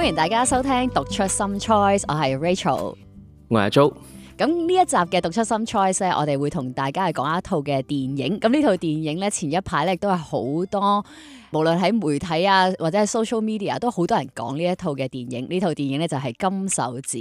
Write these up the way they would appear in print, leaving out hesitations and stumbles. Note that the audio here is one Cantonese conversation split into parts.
歡迎大家收聽讀出 Some Choice， 我係 Rachel， 我係阿 Jo。咁呢一集嘅讀出 Some Choice 咧，我哋會同大家係講一套嘅電影。咁呢套電影咧，前一排咧都係好多，無論喺媒體啊或者係 social media 都好多人講呢一套嘅電影。呢套電影咧就係《金手指》。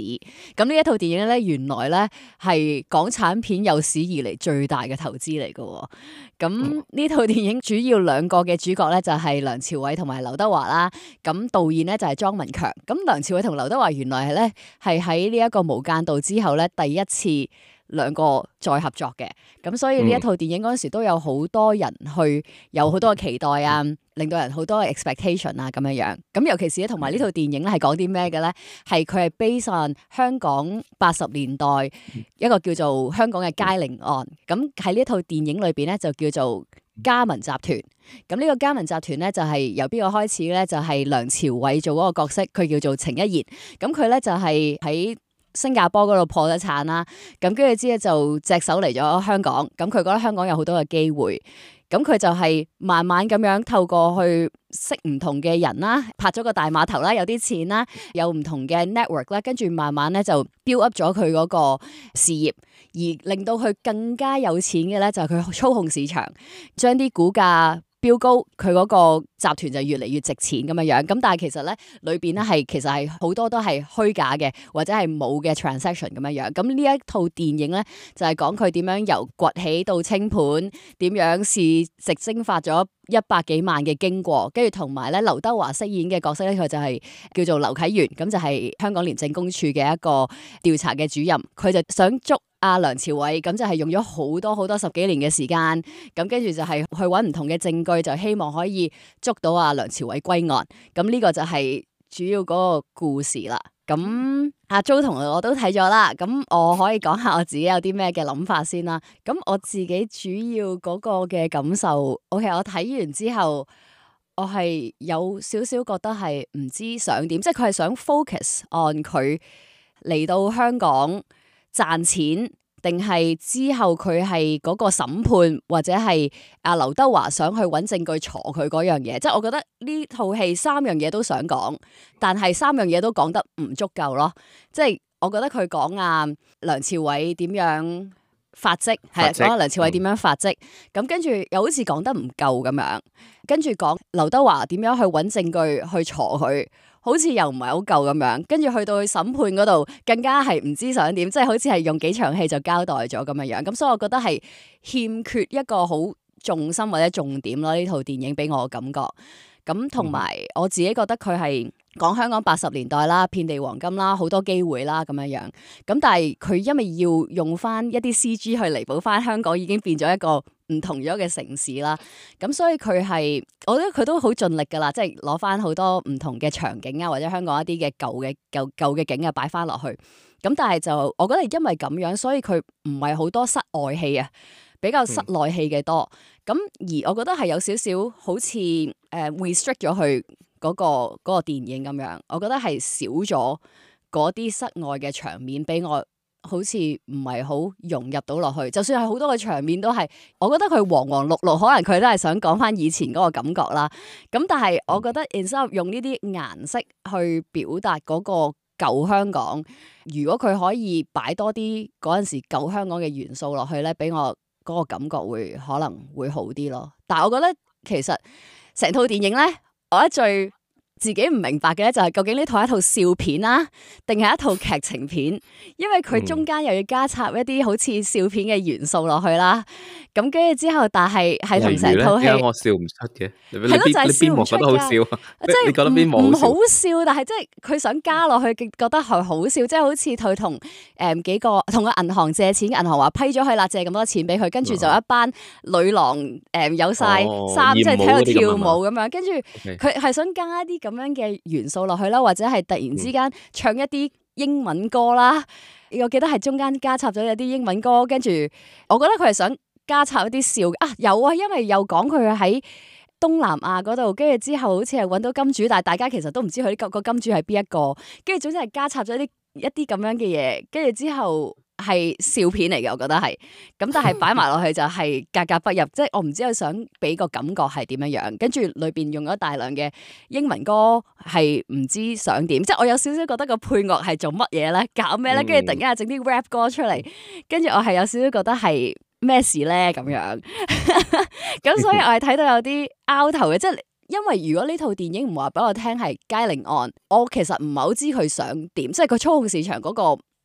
咁呢一套電影咧，原來咧係港產片有史以嚟最大嘅投資嚟嘅。咁呢套電影主要兩個嘅主角咧就係梁朝偉同埋劉德華啦。咁導演咧就係莊文強。咁梁朝偉同劉德華原來係咧係喺呢一個無間道之後咧第一次兩個再合作嘅。咁所以呢一套電影嗰陣時都有好多人去有好多嘅期待啊，令到人好多嘅 expectation 啊咁樣樣。咁尤其是咧同埋呢套電影咧係講啲咩嘅咧？係佢係 based on 香港80年代一個叫做香港嘅佳寧案。咁喺呢一套電影裏邊咧就叫做嘉文集團。咁呢個嘉文集團咧就係由邊個開始咧？就係梁朝偉做嗰個角色，佢叫做程一言。咁佢咧就係喺新加坡嗰度破咗產啦，咁跟住之後就隻手嚟咗香港，咁佢覺得香港有好多嘅機會，咁佢就係慢慢咁樣透過去識唔同嘅人啦，拍咗個大碼頭啦，有啲錢啦，有唔同嘅 network 啦，跟住慢慢咧就 build up 咗佢嗰個事業，而令到佢更加有錢嘅咧就係佢操控市場，將啲股價飆高，佢嗰個集團就越嚟越值錢咁樣樣。咁但係其實咧裏邊咧係其實係好多都係虛假嘅，或者係冇嘅 transaction 咁樣樣。咁呢一套電影咧就係講佢點樣由崛起到清盤，點樣市值蒸發咗100幾萬嘅經過，跟住同埋咧劉德華飾演嘅角色咧，佢就係叫做劉啟元，咁就係香港廉政公署嘅一個調查嘅主任，佢就想捉阿梁朝偉，咁就係用咗好多10幾年嘅時間，咁跟住就係去揾唔同嘅證據，就希望可以捉到阿梁朝偉歸案。咁呢個就係主要嗰個故事啦。咁阿 Jo 同我都睇咗啦，咁我可以講下我自己有啲咩嘅諗法先啦。咁我自己主要嗰個嘅感受，OK， 我睇完之後，我係有少少覺得係唔知想點，即係佢係想 focus on 佢嚟到香港賺錢，定係之後佢係嗰個審判，或者係阿劉德華想去揾證據鋤佢嗰樣嘢。即係我覺得呢套戲3樣嘢都想講，但係3樣嘢都講得唔足夠咯。即係我覺得佢講梁朝偉點樣發跡，係講阿梁朝偉點樣發跡，咁跟住又好似講得唔夠咁樣，跟住講劉德華點樣去揾證據去鋤佢，好似又唔係好夠咁樣，跟住去到去審判嗰度更加係唔知想點，即係好似係用幾場戲就交代咗咁樣樣，咁所以我覺得係欠缺一個好重心或者重點咯，呢套電影俾我嘅感覺。咁同埋我自己覺得佢係講香港80年代啦，遍地黃金啦，好多機會啦咁樣樣。咁但係佢因為要用翻一啲 CG 去彌補翻香港已經變咗一個唔同咗嘅城市啦。咁所以佢係，我覺得佢都好盡力噶啦，即係攞翻好多唔同嘅場景啊，或者香港一啲嘅舊嘅景啊擺翻落去。咁但係就我覺得係因為咁樣，所以佢唔係好多室外戲啊，比較室內戲嘅多。咁而我覺得係有少少好似restrict 咗佢嗰個電影咁樣，我覺得係少咗嗰啲室外嘅場面俾我，好似唔係好融入到落去。就算係好多嘅場面都係，我覺得佢黃黃綠綠，可能佢都係想講翻以前嗰個感覺啦。咁但係我覺得 instead of 用呢啲顏色去表達嗰個舊香港，如果佢可以擺多啲嗰陣時舊香港嘅元素落去咧，俾我嗰個感覺可能會好啲咯。但係我覺得其實成套電影咧，我覺得最自己唔明白嘅咧，就係究竟呢套係一套笑片啦，定係一套劇情片？因為佢中間又要加插一啲好似笑片嘅元素落去啦。咁跟住之後，但係同成套戲，我笑唔出嘅。係咯，就係笑唔出㗎。覺得好笑，即係你覺得邊幕唔好笑？但係即係佢想加落去，覺得係好笑。即係好似佢同幾個同個銀行借錢，銀行話批咗佢啦，借咁多錢俾佢，跟住就一班女郎有晒衫，即係喺度跳舞咁樣。跟住佢係想加一啲咁樣嘅元素落去啦，或者係突然之間唱一啲英文歌啦。我記得係中間加插咗一啲英文歌，跟住我覺得佢係想加插一啲笑有啊，因為又講佢喺東南亞嗰度，跟住之後好似係揾到金主，但係大家其實都唔知佢個金主係邊一個，跟住總之係加插咗一啲咁樣嘅嘢，跟住之後係笑片嚟嘅，我覺得係。咁但係擺埋落去就係格格不入，即係我唔知佢想俾個感覺係點樣樣。跟住裏邊用咗大量嘅英文歌，係唔知想點。即係我有少少覺得個配樂係做乜嘢咧，搞咩咧？跟住突然間又整啲 rap 歌出嚟，跟住我係有少少覺得係咩事咧咁樣。咁所以我係睇到有啲拗頭嘅，即係。因為如果呢套電影唔話俾我聽係佳寧案，我其實唔係好知佢想點，即係佢操控市場嗰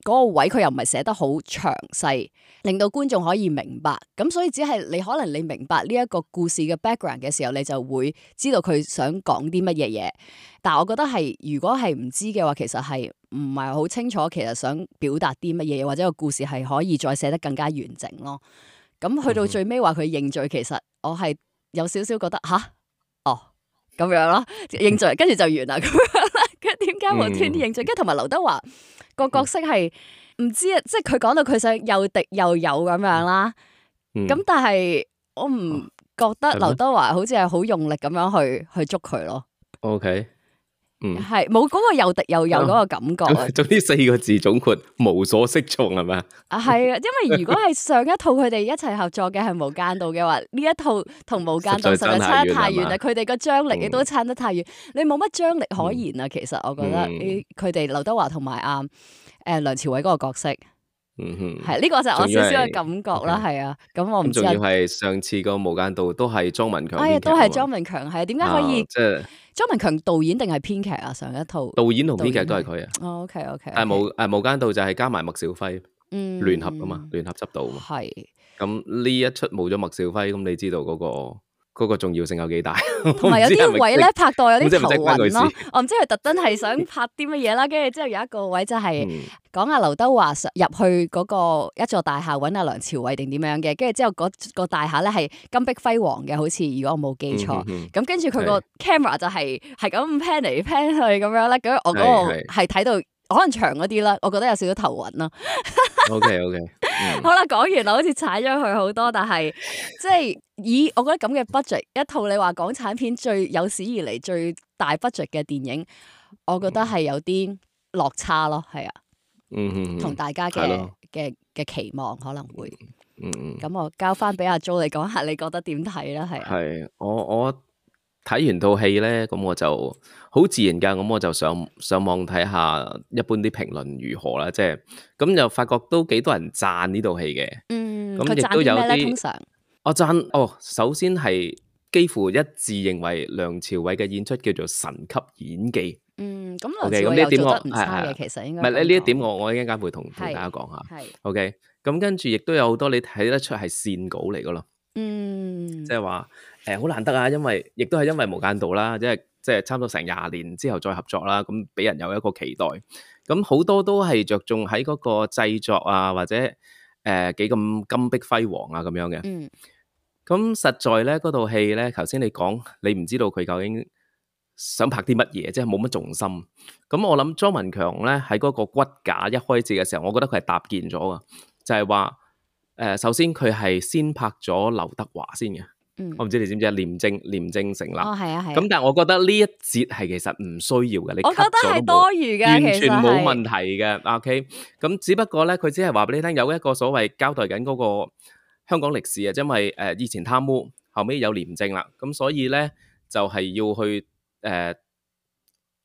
個位，佢又唔係寫得好詳細，令到觀眾可以明白。咁所以只係你可能你明白呢一個故事嘅 background 嘅時候，你就會知道佢想講啲乜嘢嘢。但係我覺得係如果係唔知嘅話，其實係唔係好清楚，其實想表達啲乜嘢，或者個故事係可以再寫得更加完整咯。咁去到最尾話佢認罪，其實我係有少少覺得吓。咁樣咯，認罪跟住就完啦。咁樣啦，佢點解無端端認罪？跟住同埋劉德華個角色係唔知啊，即係佢講到佢想又敵又友咁樣啦。咁但係我唔覺得劉德華好似係好用力咁樣去捉佢咯。OK。係冇嗰個又敵又友嗰個感覺。總之4個字總括無所適從係咪啊？係啊，因為如果係上一套佢哋一齊合作嘅係無間道嘅話，呢一套同無間道實在差得太遠啦。佢哋個張力亦都差得太遠，你冇乜張力可言啊。其實我覺得佢哋劉德華同埋梁朝偉嗰個角色。係呢個就係我少少嘅感覺啦，係啊，咁我唔知。仲要係上次個無間道都係莊文強編劇，都係莊文強，係點解可以？即係莊文強導演定係編劇啊？上一套導演同編劇都係佢啊。OK。無間道就係加埋麥兆輝聯合啊嘛，聯合執導啊嘛。係。咁呢一出冇咗麥兆輝，咁你知道嗰個重要性有幾大？同埋有啲位咧拍到有啲頭暈咯，我唔知佢特登係想拍啲乜嘢啦。跟住之後有一個位就係講阿劉德華入去嗰個一座大廈揾阿梁朝偉定點樣嘅，跟住之後嗰個大廈咧係金碧輝煌嘅，好似如果我冇記錯。咁跟住佢個 camera 就係咁 pan 嚟 pan 去咁樣咧。咁我嗰個係睇到可能長嗰啲啦，我覺得有少少頭暈咯。OK。好啦，講完啦，好似踩咗佢好多，但係即係以我覺得咁嘅 budget 一套，你話港產片最有史以嚟最大 budget 嘅電影，我覺得係有啲落差咯，係啊，同大家嘅期望可能會，咁我交翻俾阿 Jo 你講下，你覺得點睇啦？係係我睇完套戲咧，咁我就好自然噶，咁我就上網睇下一般啲評論如何啦，即係咁就發覺都幾多人讚呢套戲嘅。咁亦都有啲通常我讚首先係幾乎一致認為梁朝偉嘅演出叫做神級演技。咁梁朝偉又做得唔差嘅，其實應該唔係呢一點我一陣間會同大家講下。OK，咁跟住亦都有好多你睇得出係線稿嚟噶咯。即係話好難得啊，因為亦都係因為無間道啦，即係差唔多成20年之後再合作啦，咁俾人有一個期待。咁好多都係着重喺嗰個製作啊，或者幾咁金碧輝煌啊咁樣嘅。咁實在咧嗰套戲咧，頭先你講你唔知道佢究竟想拍啲乜嘢，即係冇乜重心。咁我諗莊文強咧喺嗰個骨架一開始嘅時候，我覺得佢係搭建咗㗎，就係話首先佢係先拍咗劉德華先嘅。我唔知你知唔知啊？廉政成立。係啊。咁但係我覺得呢一節係其實唔需要嘅，你 cut 咗都冇，我覺得係多餘嘅，完全冇問題嘅。OK， 咁只不過咧，佢只係話俾你聽有一個所謂交代緊嗰個香港歷史啊，因為以前貪污，後尾有廉政啦，咁所以咧就係要去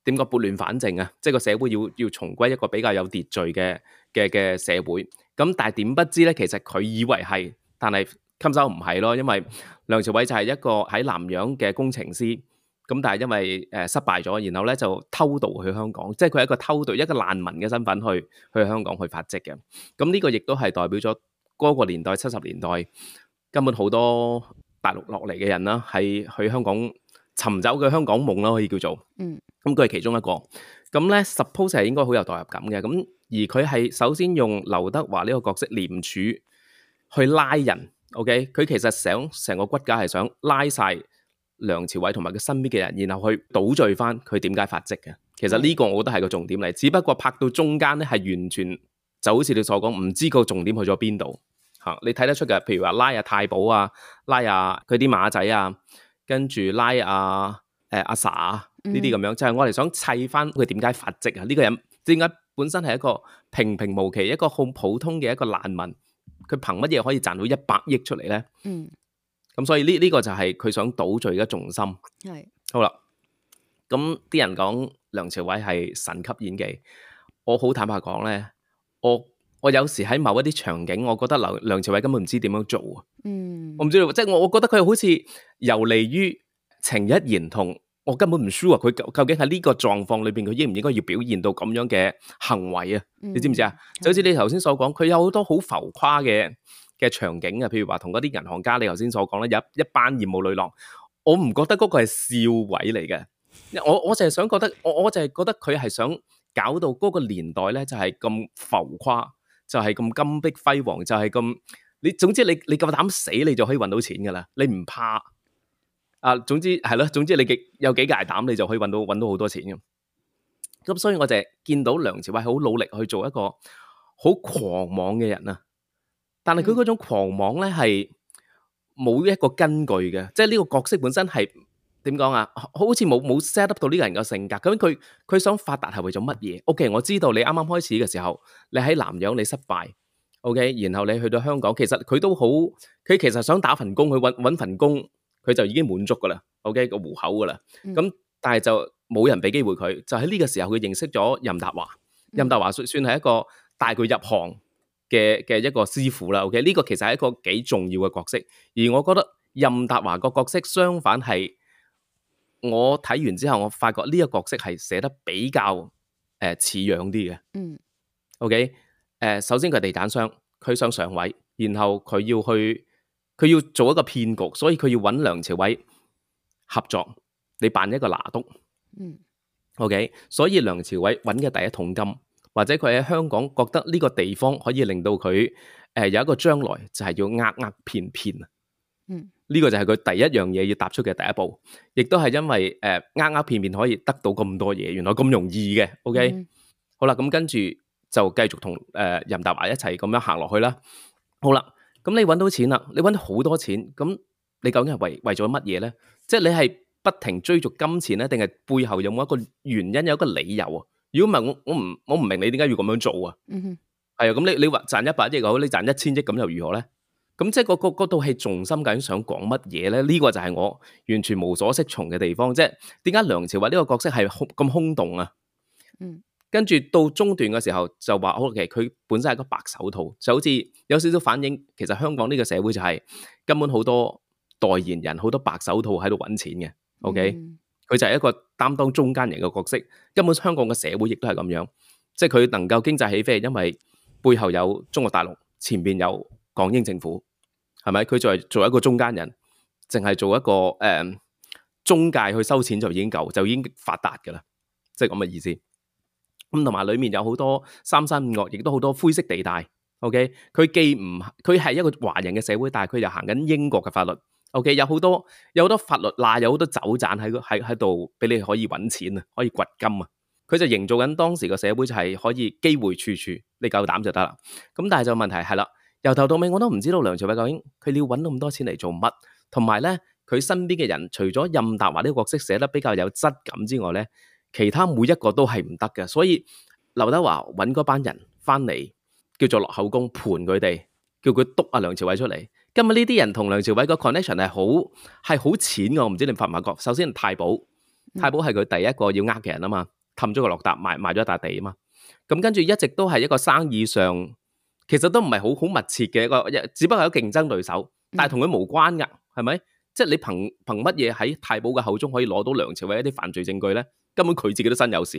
點個撥亂反正啊，即係個社會要重歸一個比較有秩序嘅社會。咁但係點不知咧，其實佢以為係，但係襟手唔係咯，因為梁朝偉就係一個喺南洋嘅工程師，咁但係因為失敗咗，然後咧就偷渡去香港，即係佢係一個偷渡一個難民嘅身份去香港去發跡嘅。咁呢個亦都係代表咗嗰個年代70年代根本好多大陸落嚟嘅人啦，係去香港尋找嘅香港夢啦，可以叫做。咁佢係其中一個。咁咧 suppose 係應該好有代入感嘅。咁而佢係首先用劉德華呢個角色廉署去拉人。OK， 佢其實想成個骨架係想拉晒梁朝偉同埋佢身邊嘅人，然後去倒序翻佢點解發跡嘅。其實呢個我覺得係個重點嚟，只不過拍到中間咧係完全就好似你所講，唔知個重點去咗邊度嚇。你睇得出嘅，譬如話拉阿太保啊，拉阿佢啲馬仔啊，跟住拉阿 sa 呢啲咁樣，就係我哋想砌翻佢點解發跡啊？呢個人點解本身係一個平平無奇、一個好普通嘅一個難民，佢憑乜嘢可以賺到100億出嚟咧？咁所以呢個就係佢想倒敘嘅重心。係好啦，咁啲人講梁朝偉係神級演技，我好坦白講咧，我有時喺某一啲場景，我覺得梁朝偉根本唔知點樣做啊。我唔知道，即係我覺得佢好似游離於情一言同，我根本唔 sure 佢究竟喺呢個狀況裏邊，佢應唔應該要表現到咁樣嘅行為啊？你知唔知啊？就好似你頭先所講，佢有好多好浮誇嘅場景啊，譬如話同嗰啲銀行家，你頭先所講咧，有一班業務女郎，我唔覺得嗰個係笑位嚟嘅。我就係想覺得，我就係覺得佢係想搞到嗰個年代咧，就係咁浮誇，就係咁金碧輝煌，就係咁你總之你夠膽死，你就可以搵到錢噶啦，你唔怕啊？總之係咯，總之你有幾大膽，你就可以搵到好多錢嘅。咁所以我就係見到梁朝偉好努力去做一個好狂妄嘅人啊，但係佢嗰種狂妄咧係冇一個根據嘅，即係呢個角色本身係點講啊？好似冇 set up 到呢個人嘅性格。咁佢想發達係為咗乜嘢？OK， 我知道你啱啱開始嘅時候，你喺南洋你失敗 ，OK， 然後你去到香港，其實佢都好，佢其實想打份工，去搵份工，佢就已經滿足噶啦 ，OK 個戶口噶啦。咁但係就冇人俾機會佢，就喺呢個時候佢認識咗任達華。任達華算係一個帶佢入行嘅一個師傅啦。OK， 呢個其實係一個幾重要嘅角色。而我覺得任達華個角色相反係。我睇完之後，我發覺呢個角色係寫得比較似樣啲嘅。OK， 首先佢係地產商，佢想上位，然後佢要做一個騙局，所以佢要揾梁朝偉合作，你扮一個拿督。OK， 所以梁朝偉揾嘅第一桶金，或者佢喺香港覺得呢個地方可以令到佢有一個將來，就係要騙騙。呢個就係佢第一樣嘢要踏出嘅第一步，亦都係因為騙騙可以得到咁多嘢，原來咁容易嘅。OK，好啦，咁跟住就繼續同任達華一齊咁樣行落去啦。好啦，咁你揾到錢啦，你揾到好多錢，咁你究竟係為咗乜嘢咧？即係你係不停追逐金錢咧，定係背後有冇一個原因，有一個理由啊？如果唔係，我唔明你點解要咁樣做啊？係啊，咁你話賺100億又好，你賺1000億咁又如何咧？咁即係嗰套戲重心究竟想講乜嘢咧？呢個就係我完全無所適從嘅地方，即係點解梁朝偉呢個角色係咁空洞啊？跟住到中段嘅時候就話，OK，佢本身係個白手套，就好似有少少反映，其實香港呢個社會就係根本好多代言人，好多白手套喺度揾錢嘅。OK，佢就係一個擔當中間人嘅角色。根本香港嘅社會亦都係咁樣，即係佢能夠經濟起飛，係因為背後有中國大陸，前邊有港英政府，係咪？佢就係做一個中間人，淨係做一個中介去收錢就已經夠，就已經發達噶啦，即係咁嘅意思。咁同埋裏面有好多三山五岳，亦都好多灰色地帶。OK， 佢既唔，佢係一個華人嘅社會，但係佢又行緊英國嘅法律。OK， 有好多法律罅，有好多走盞喺度俾你可以揾錢啊，可以掘金啊。佢就營造緊當時個社會就係可以機會處處，你夠膽就得啦。咁但係就問題係啦，由頭到尾我都唔知道梁朝偉究竟佢要揾咁多錢嚟做乜，同埋咧佢身邊嘅人除咗任達華呢個角色寫得比較有質感之外咧，其他每一個都係唔得嘅。所以劉德華揾嗰班人翻嚟叫做落口供盤佢哋，叫佢督阿梁朝偉出嚟。今日呢啲人同梁朝偉個 connection 係好淺嘅，我唔知你發唔發覺。首先太保係佢第一個要呃嘅人啊嘛。氹咗個落搭，賣咗一笪地啊嘛，咁跟住一直都係一個生意上，其實都唔係好密切嘅一個，只不過係個競爭對手，但係同佢無關噶，係咪？即係你憑乜嘢喺太保嘅口中可以攞到梁朝偉一啲犯罪證據咧？根本佢自己都身有事。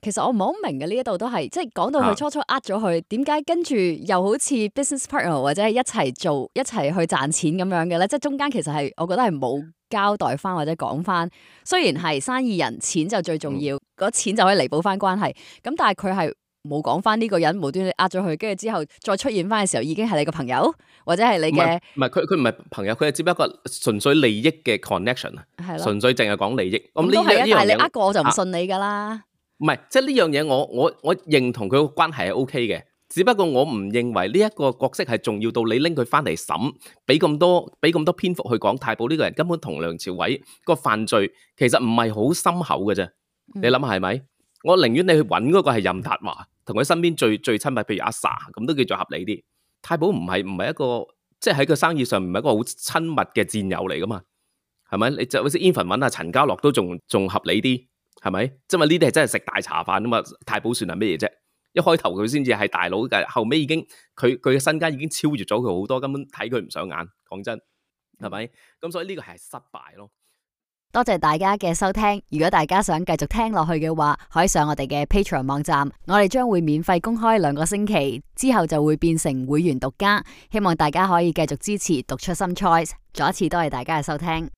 其實我唔係好明嘅，呢一度都係即係講到佢初初呃咗佢，點解跟住又好似 business partner 或者係一齊做一齊去賺錢咁樣嘅咧？即係中間其實係我覺得係冇交代翻或者講翻，雖然係生意人，錢就最重要，嗰錢就可以彌補翻關係。咁但係佢係冇講翻呢個人無端端呃咗佢，跟住之後再出現翻嘅時候，已經係你個朋友或者係你嘅唔係佢唔係朋友，佢係只不過純粹利益嘅 connection 啊，純粹淨係講利益。咁都係啊，但係你呃過我就唔信你噶啦。唔係，即係呢樣嘢我認同佢個關係係 OK 嘅，只不過我唔認為呢一個角色係重要到你拎佢翻嚟審，俾咁多篇幅去講太保呢個人根本同梁朝偉個犯罪其實唔係好深厚嘅啫。你諗下係咪？我寧願你去揾嗰個係任達華，同佢身邊最親密，譬如阿 Sa 咁都叫做合理啲。太保唔係一個，即係喺個生意上唔係一個好親密嘅戰友嚟噶嘛，係咪？你就好似 Even 揾阿陳家樂都仲合理啲，係咪？即係呢啲係真係食大茶飯啊嘛，太保算係咩嘢啫？一開頭佢先至係大佬嘅，後尾已經佢嘅身家已經超越咗佢好多，根本睇佢唔上眼。講真，係咪？咁所以呢個係失敗咯。多謝大家嘅收聽。如果大家想繼續聽落去嘅話，可以上我哋嘅 Patreon 網站，我哋將會免費公開2個星期，之後就會變成會員獨家。希望大家可以繼續支持讀出 Some Choice。再一次多謝大家嘅收聽。